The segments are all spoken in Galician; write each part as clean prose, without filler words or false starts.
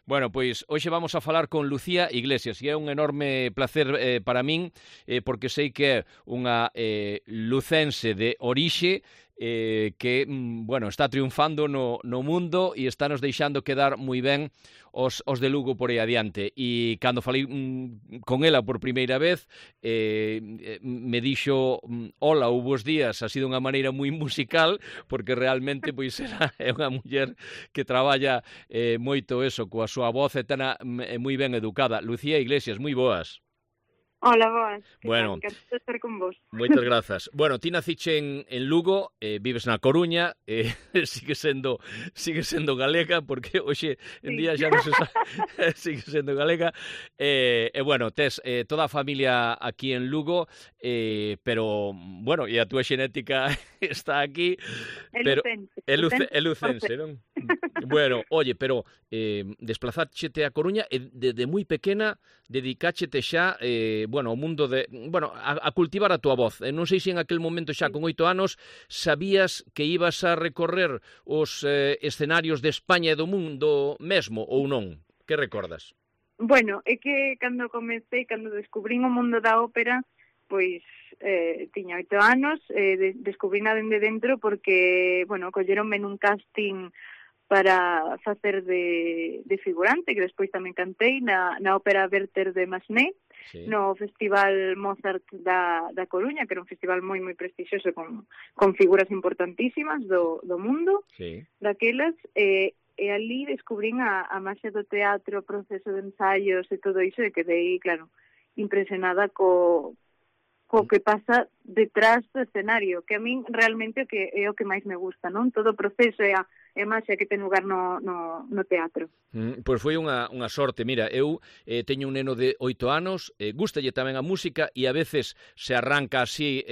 Bueno, pois hoxe vamos a falar con Lucía Iglesias e é un enorme placer para min porque sei que é unha lucense de orixe que, bueno, está triunfando no mundo e está nos deixando quedar moi ben os de Lugo por aí adiante. E cando falei con ela por primeira vez, me dixo hola ou bons días, así de unha maneira moi musical, porque realmente pois é unha muller que traballa moito eso, coa súa voz e tana moi ben educada. Lucía Iglesias, moi boas. Hola, boas. Bueno, Encantado de estar con vos. Moitas grazas. Bueno, ti naciche en Lugo, vives na Coruña, sigue sendo galega, porque hoxe en día xa non se sabe, sigue sendo galega, e bueno, tes toda a familia aquí en Lugo, pero, bueno, e a túa xenética está aquí, pero é lucense, non? Bueno, oye, pero desplazáchete a Coruña e desde moi pequena dedicáchete xa, bueno, ao mundo de, bueno, a cultivar a túa voz. Non sei se en aquel momento xa con 8 anos sabías que ibas a recorrer os escenarios de España e do mundo mesmo ou non? Que recordas? Bueno, é que cando descubrín o mundo da ópera, pois tiña 8 anos, descubrín dende dentro porque, bueno, colleronme nun casting para facer de figurante, que despois tamén cantei na ópera Werther de Massenet, sí, no Festival Mozart da Coruña, que era un festival moi prestixioso con figuras importantísimas do mundo, sí, daquelas, e ali descubrín a maxia do teatro, o proceso de ensaios e todo iso, e quedei, claro, impresionada co que pasa detrás do escenario, que a min realmente é o que máis me gusta, non? Todo o proceso e a máxia que ten lugar no teatro. Pois foi unha sorte. Mira, eu teño un neno de 8 anos, gústalle tamén a música e a veces se arranca así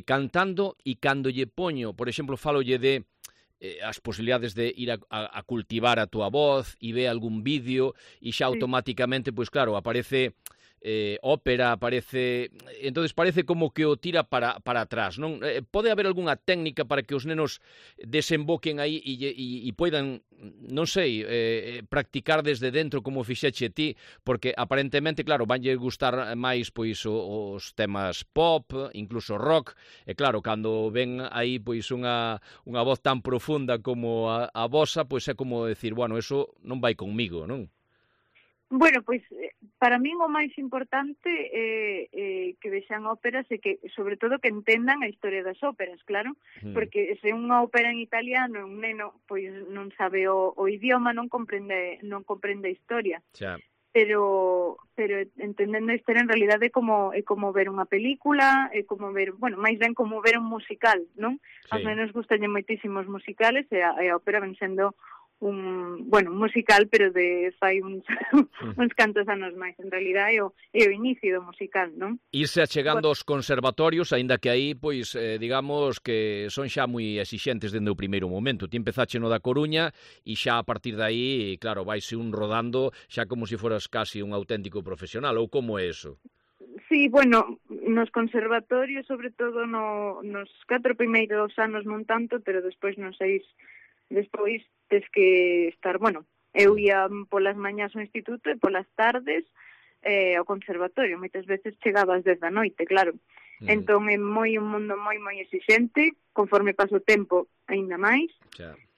cantando, e cando lle poño, por exemplo, falolle de as posibilidades de ir a cultivar a túa voz e ve algún vídeo e xa automáticamente, pois claro, aparece ópera, aparece, entonces parece como que o tira para atrás, non? Pode haber algunha técnica para que os nenos desemboquen aí e poidan, non sei, practicar desde dentro como fixeche ti, porque aparentemente, claro, vanlle gustar máis pois os temas pop, incluso rock, e claro, cando ven aí pois unha voz tan profunda como a vosa, pois é como decir, bueno, eso non vai conmigo, non? Bueno, pois, para min o máis importante é que vexan óperas e que, sobre todo, que entendan a historia das óperas, claro, porque se unha ópera en italiano, un neno, pois non sabe o idioma, non comprende a historia. Xa. Pero entendendo a historia, en realidade, é como ver unha película, é como ver, bueno, máis ben como ver un musical, non? Sí. Aos nenos gustalle moitísimo os musicales e a ópera ven sendo un musical, pero de fai uns cantos anos máis. En realidad é o inicio do musical, non? Irse achegando aos conservatorios, aínda que aí, pois, digamos que son xa moi exixentes dende o primeiro momento. Ti empezache no da Coruña e xa a partir de aí, claro, vaise un rodando xa como se foras casi un auténtico profesional, ou como é eso? Sí, bueno, nos conservatorios, sobre todo nos 4 primeiros anos non tanto, pero despois nos 6, despois tes que estar, bueno, eu ia polas mañás ao instituto e polas tardes ao conservatorio. Moitas veces chegaba ás 10 da noite, claro. Entón é un mundo moi exixente, conforme paso o tempo aínda máis.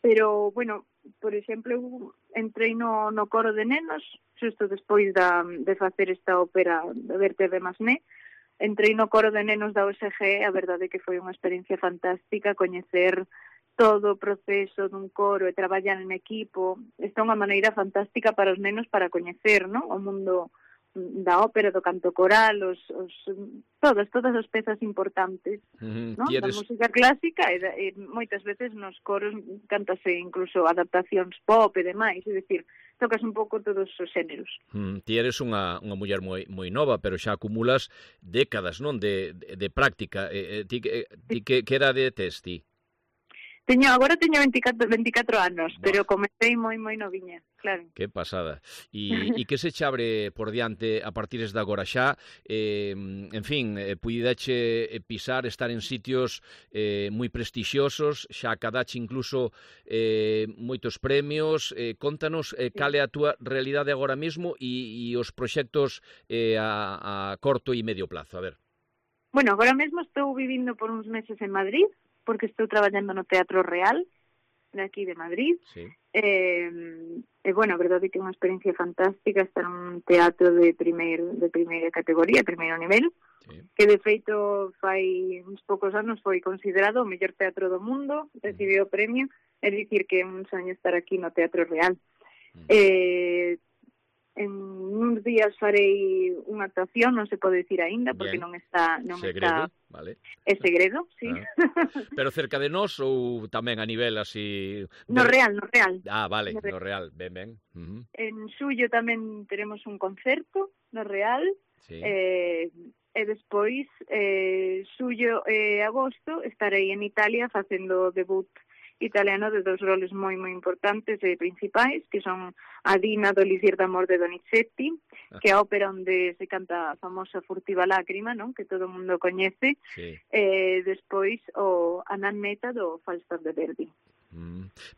Pero, bueno, por exemplo, eu entrei no coro de nenos, xusto despois de facer esta ópera de Werther de Massenet. Entrei no coro de nenos da USG, a verdade é que foi unha experiencia fantástica, coñecer todo o proceso dun coro e traballar en equipo. Esta é unha maneira fantástica para os nenos para coñecer, non? O mundo da ópera, do canto coral, todas as pezas importantes, non? Da música clásica e moitas veces nos coros cántase incluso adaptacións pop e demais, é dicir, tocas un pouco todos os xéneros. Ti eres unha muller moi nova, pero xa acumulas décadas, non, de práctica. Ti que idade tes ti? Agora teño 24 anos, pero comecei moi noviña, claro. Que pasada. E que se abre por diante a partir de agora xa? En fin, puideche pisar, estar en sitios moi prestixiosos, xa acadache incluso moitos premios. Contanos cal é a túa realidade agora mesmo e os proxectos a corto e medio plazo. A ver. Bueno, agora mesmo estou vivindo por uns meses en Madrid, porque estou traballando no Teatro Real, de aquí de Madrid. Sí. Bueno, a verdade que é unha experiencia fantástica estar nun teatro de primeira categoría, primeiro nivel, sí. Que de feito fai uns poucos anos foi considerado o mellor teatro do mundo, recibiu o premio, é dicir que é un soño estar aquí no Teatro Real. En uns días farei unha actuación, non se pode dicir aínda, porque non está... Segredo, vale. É segredo, sí. Pero cerca de nós ou tamén a nivel así... No Real. Ah, vale, no Real, ben. En xullo tamén teremos un concerto no Real, sí. E despois, xullo e agosto, estarei en Italia facendo debut italiano de dos roles moi importantes e principais, que son a Dina do Elisir d'amor de Donizetti, que é a ópera onde se canta a famosa Furtiva lágrima, non? Que todo o mundo coñece, sí. E despois o a Nannetta do Falstaff de Verdi.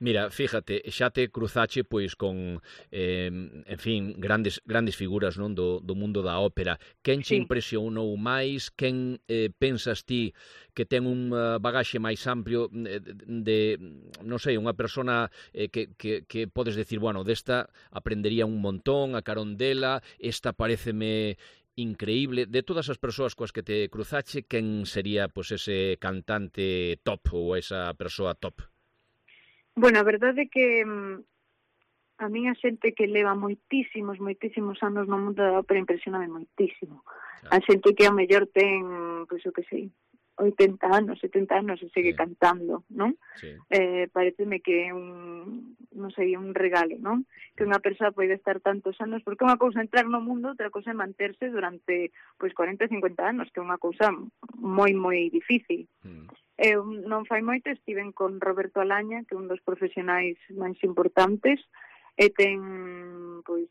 Mira, fíjate, xa te cruzache pois con, en fin, grandes figuras, non, do mundo da ópera. Quen che impresionou máis? Quen pensas ti que ten un bagaxe máis amplio de, non sei, unha persona que podes decir, bueno, desta aprendería un montón, a carón dela, esta paréceme increíble. De todas as persoas coas que te cruzache, quen sería pois ese cantante top ou esa persoa top? Bueno, a verdade é que a min a xente que leva moitísimos anos no mundo da ópera impresioname moitísimo. A xente que ao mellor ten, pois o que sei, 80 anos, 70 anos e segue cantando, non? Sí. Pareceme que é un regalo, non? Que unha persoa pode estar tantos anos, porque unha cousa entrar no mundo, outra cousa é manterse durante pois 40 e 50 anos, que é unha cousa moi difícil. Eu non fai moito estiven con Roberto Alaña, que é un dos profesionais máis importantes, e ten pois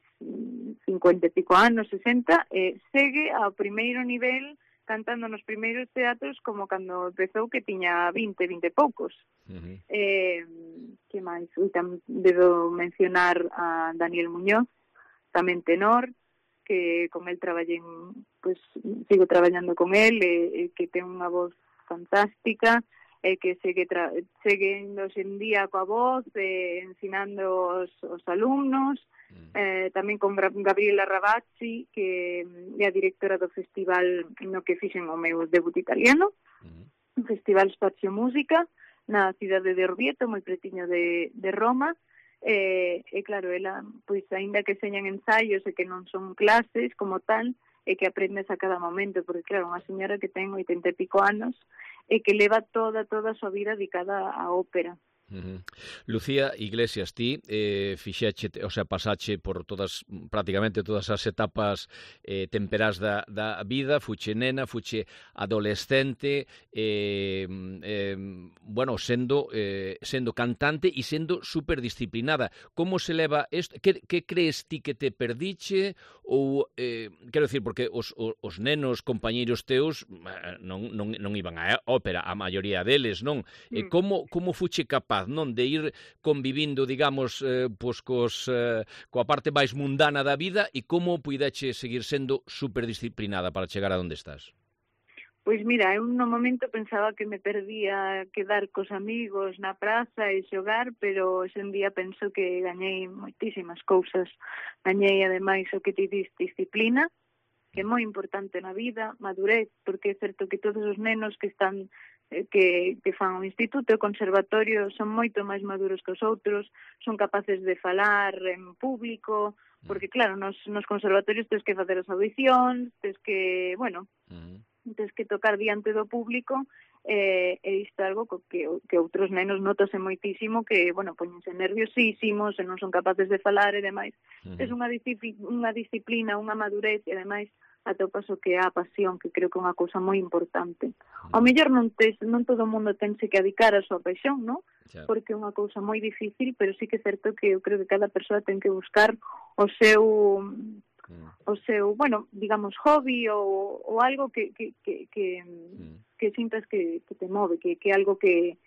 50 e pico anos, 60, e segue ao primeiro nivel cantando nos primeiros teatros como cando empezou, que tiña 20 e poucos. Que máis? Debo mencionar a Daniel Muñoz, tamén tenor, que con el traballei, pois sigo traballando con el, e que ten unha voz fantástica, que segue indo en día coa voz, ensinando os alumnos, tamén con Gabriela Ravazzi, que é a directora do festival no que fixen o meu debut italiano, un festival Spazio Música, na cidade de Orvieto, moi pretiño de Roma, e claro, ela, pois, aínda que señan ensaios e que non son clases como tal, e que aprendes a cada momento, porque claro, unha señora que ten 80 e pico anos e que leva toda a súa vida dedicada á ópera. Lucía Iglesias, ti fixeche, o sea, pasache por prácticamente todas as etapas temperás da vida, fuche nena, fuche adolescente, bueno, sendo cantante e sendo superdisciplinada. Como se leva isto? Que crees ti que te perdiche? Ou, quero dicir, porque os nenos, compañeiros teus, non iban á ópera, a maioría deles, non? Como fuche capaz, non, de ir convivindo, digamos, pois coa parte máis mundana da vida, e como puideche seguir sendo superdisciplinada para chegar a onde estás? Pois mira, eu no momento pensaba que me perdía quedar cos amigos na praza e xogar, pero ese día penso que gañei moitísimas cousas. Gañei, ademais, o que ti dis, disciplina, que é moi importante na vida, madurez, porque é certo que todos os nenos que están que fan o instituto e o conservatorio son moito máis maduros que os outros, son capaces de falar en público, porque claro, nos conservatorios tens que facer as audicións, tens que, bueno, tens que tocar diante do público, e isto é algo que outros nenos notase moitísimo, que, bueno, poñense nerviosísimos e non son capaces de falar e demais. É unha disciplina, unha madurez, e ademais atopas o que é a pasión, que creo que é unha cousa moi importante. Ao mellor non todo o mundo tense que dedicar a súa paixón, non? Porque é unha cousa moi difícil, pero sí que é certo que eu creo que cada persoa ten que buscar o seu, bueno, digamos, hobby ou algo que sintas que te move, que é algo que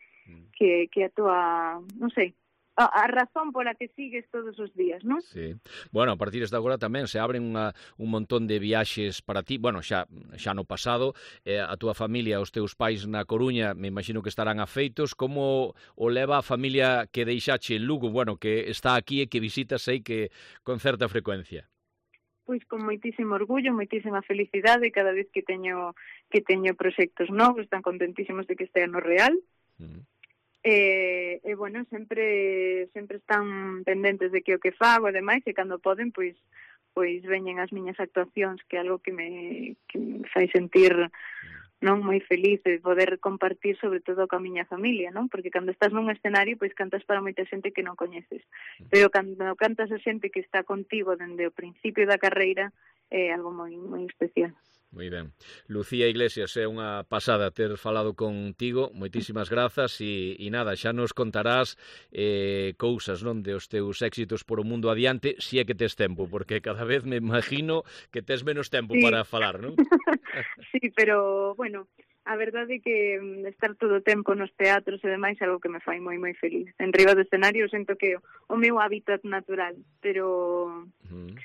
a tua, non sei, a razón pola que sigues todos os días, non? Sí. Bueno, a partir de agora tamén se abren un montón de viaxes para ti, bueno, xa no pasado, a túa familia, os teus pais na Coruña, me imagino que estarán afeitos. Como o leva a familia que deixache en Lugo, bueno, que está aquí e que visitas, sei que con certa frecuencia? Pois con moitísimo orgullo, moitísima felicidade cada vez que teño proxectos novos, están contentísimos de que estea no Real. E bueno, sempre están pendentes de que o que fago e demais, e cando poden, pois veñen as miñas actuacións, que é algo que me fai sentir non moi feliz de poder compartir sobre todo coa miña familia, non? Porque cando estás nun escenario, pois cantas para moita xente que non coñeces, pero cando cantas a xente que está contigo dende o principio da carreira, é algo moi moi especial. Moi ben. Lucía Iglesias, é unha pasada ter falado contigo, moitísimas grazas e nada, xa nos contarás cousas, non, de os teus éxitos por o mundo adiante, si é que tes tempo, porque cada vez me imagino que tes menos tempo para falar, non? Sí, pero, bueno, a verdade é que estar todo o tempo nos teatros e demais é algo que me fai moi moi feliz. En riba do escenario sinto que o meu hábitat natural, pero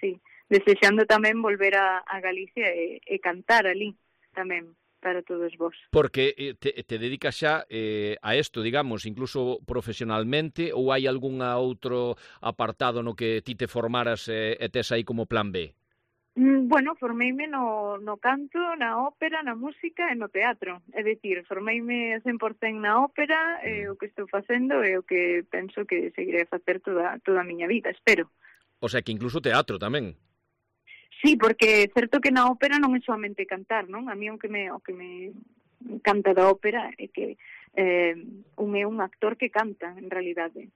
sí, desexando tamén volver a Galicia e cantar ali tamén para todos vos. Porque te dedicas xa a isto, digamos, incluso profesionalmente, ou hai algún outro apartado no que ti te formaras e tes aí como plan B? Bueno, formeime no canto, na ópera, na música e no teatro. É dicir, formeime 100% na ópera, o que estou facendo e o que penso que seguiré a facer toda a miña vida, espero. O sea, que incluso teatro tamén. Sí, porque é certo que na ópera non é solamente cantar, non? A mí o que me encanta da ópera é que un é un actor que canta, en realidade.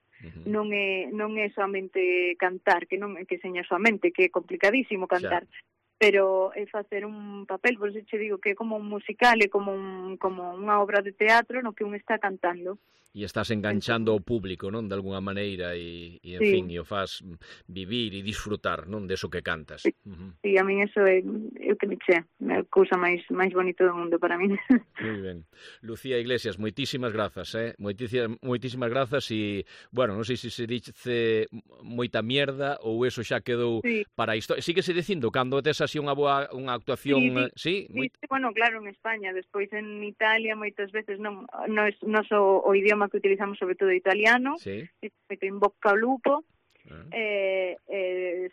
Non é solamente cantar, que seña solamente, que é complicadísimo cantar, pero é facer un papel, por eso che digo que é como un musical, é como unha obra de teatro no que un está cantando. E estás enganchando ao público, non, de alguna maneira, e en fin, e o faz vivir e disfrutar, non, deso que cantas. Sí, a min eso é o que me chea, a cousa máis bonita do mundo para min. Moi ben. Lucía Iglesias, moitísimas grazas, moitísimas grazas, e, bueno, non sei se dice moita mierda ou eso xa quedou para a historia. Síguese dicindo cando tes así unha actuación, sí? Bueno, claro, en España, despois en Italia moitas veces non o idioma que utilizamos sobre todo italiano, que in bocca ao lupo,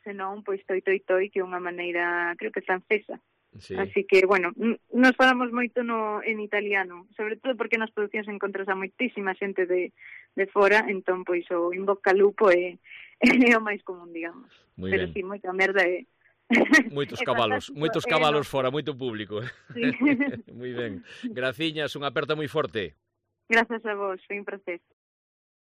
senón, pois, toi, que é unha maneira, creo que francesa. Así que, bueno, nos falamos moito en italiano, sobre todo porque nas producións encontras a moitísima xente de fora, entón, pois, o in bocca ao lupo é o máis común, digamos. Pero sí, moita merda é... Moitos cabalos fora, moito público. Moi ben. Graciñas, unha aperta moi forte. Grazas a vos, foi un placer.